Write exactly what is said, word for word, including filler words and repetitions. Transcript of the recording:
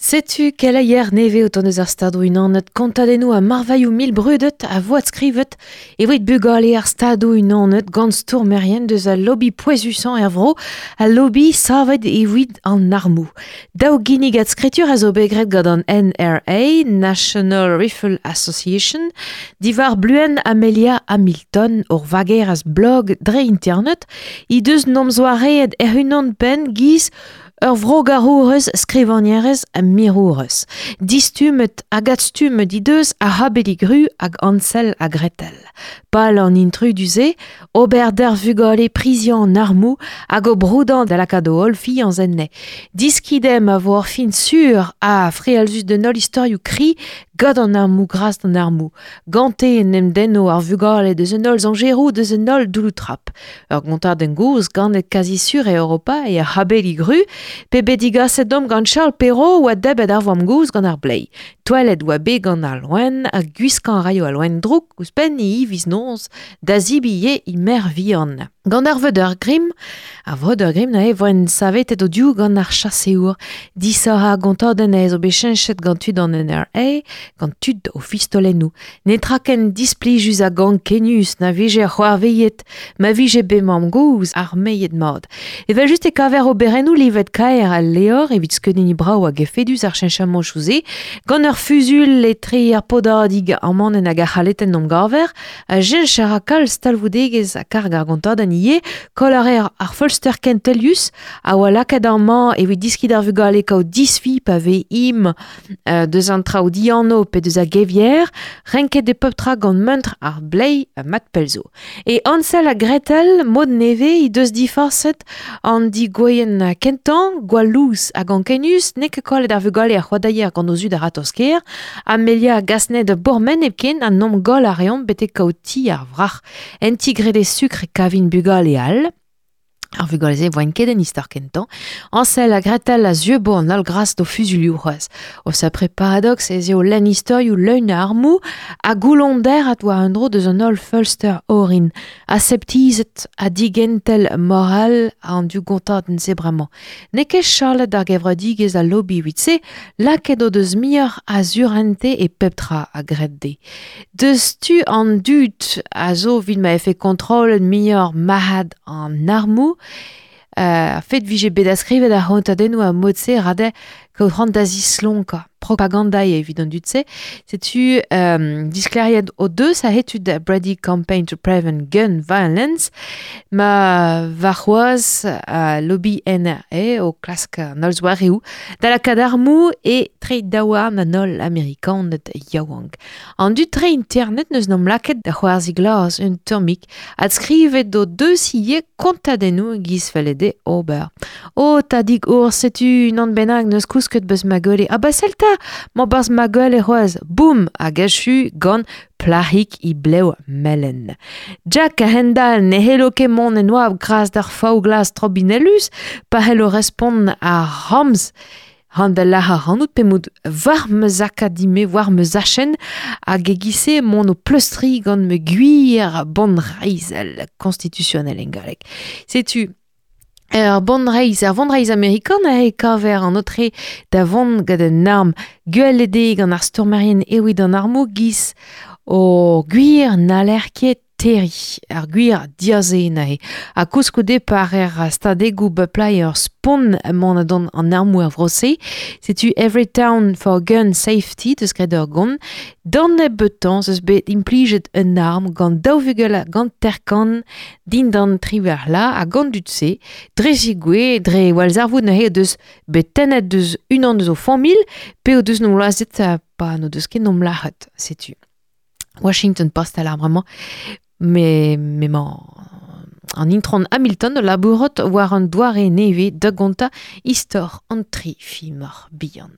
Setu keleier neve o tont eus ar stadoù unanet kontadennoù a marvailhoù mil brudet a voad skrivet evit bugale ar stadoù unanet gant stourmerien deus al lobby pouezusañ er vro al lobby savet evit an armoù. Daou ginnig ad skritur a zo bet graet gant an N R A, National Rifle Association, diwar bluen Amelia Hamilton ur vager az blog dre internet, he deus nomzoareet er-unan penn giz ur vrogarourez, skrivagnerez ha mirourez. Distumet hag adstumet he deus a habelig-ru hag Hansel ha Gretel. Pal an intrudu-se, ober d'ar vugale priziañ an armoù hag o broudañ da lakaat o holl fiañs enne. Diskidem a vo ur fin sur ha frealzus d'un holl istorioù kri gant an armoù gras d'an armoù. Gante en em denno ar vugale deus un holl zañjeroù deus un holl doulou-trap. Ur gontadenn gozh ganet kazi sur e Europa e ar habelig-ru pe bet digaset dom gant Charles Perrault oa debet ar vamm-gozh gant ar blei. Toalet oa bet gant ar loen ha gwiskañ raio al loen drouk ouzhpenn e hiviz noz da zibi e mer vihan. Gant ar vreudeur Grimm, ar vreudeur Grimm neuze voent savetet o div gant ar chaseour. Disoc'h ar gontadenn ez zo bet cheñchet gant tud an N R A, gant tud o fistolennoù. Netra ken displijus hag ankenius na vije c'hoarveilhet, ma vije bet mamm-gozh ar meiet mat. Evel just e kaver oberennoù livet kaer al leor evit skeudenniñ brav hag efedus ar cheñchamantoù-se, gant ur fuzul etre ar podadig amanenn hag ar c'haletenn omp gaver, a jench a ra kalz talvoudegezh ha karg ar gontadenn ivez, koll a reer ar feulster kentelius a oa lakaet amañ evit diskiñ d'ar vugale kaout disfi pa vez im euh, deus an traoù dianv pe deus a gevier, renket e pep tra gant muntr ar blei ha mat pellzo. E Hansel ha Gretel, mod nevez, he deus diforset an digoien kentañ, gwall-lous hag ankenius, n'eo ket kollet ar vugale ar c'hoadaier gant o zud ar ratozh-kaer, Amelia Gasnet bourmen hepken an nom goll a reont betek kaout ti ar vrac'h. En ti grede sukr e kavin bugale all. Ar vugale-se voent ket en istor kentañ. Hansel ha Gretel a zeubo an holl gras d'o fuzulioù c'hoazh. O sapre paradox ez eo lenn istorioù leun a armoù ha goulonder at war un dro deus an holl feulster orin. Aseptizet ha digentel moral an du gontadenn-se bremañ. N'eo ket chalet ar gevredigezh al lobby evit-se, lakaet o deus muioc'h a surente e pep tra a gred dezhe. Deus tu an dud a zo evit ma efe kontrollet muioc'h marc'had an armoù, Euh, fet vije bet askrivet ar c'hontadennoù a mod-se rade kaout c'hoant da zislonkañ propaganda evit an dud-se. Setu euh, diskleriet o deus a hetud da Brady Campaign to Prevent Gun Violence ma varc'hoazh a lobby N R A o klask an holl zoareoù da lakaat armoù e tre daouarn an holl Amerikaned yaouank. An dud tre internet neus n'am lakaet da c'hoarzh glas un tammig adskrivet o deus ivez kontadennoù giz felle dezhe ober. O tadig our setu unan bennak neus kousket beus ma gwele. Ah ba selta, ma barzh ma gwele c'hoazh. Boum, hag achu gant plahik i blev melen. Jack a hendal ne hello ket mont en oabl gras d'ar faou glas trobinellus, pa hello respont ar ramz. Han da lac'h ar pe mout war ma zakadime, war ma zachen, hag e gise mont o pleustri gant me gwir bonreizh constitutionnel en galleg. Setu Ur bonreizh, ar vonreizh amerikan a e kaver an otre da vont gant un arm gwell eo gant ar stourmerien evit an armoù giz o gwir n'haller ket terri, ar gwir diaze nae. Ha koulskoude par er stadegoù beplai ur spont mont adon an armoù er vro-se. Setu Every Town for Gun Safety deus graet ur gont. D'an nebeutañ eus bet implijet un arm gant daou vugel gant terkan dindan triwec'h la ha gant dud-se. Dre zigouez, dre walzarvoud neuze deus bet tennet deus unan deus o familh pe o deus nom lazet pa n'o deus ket nom lac'het, setu. Washington Post a lar bremañ. Me, me mañ an intron Hamilton labourot war an doare nevez da gontañ istor an tri fimor bihan.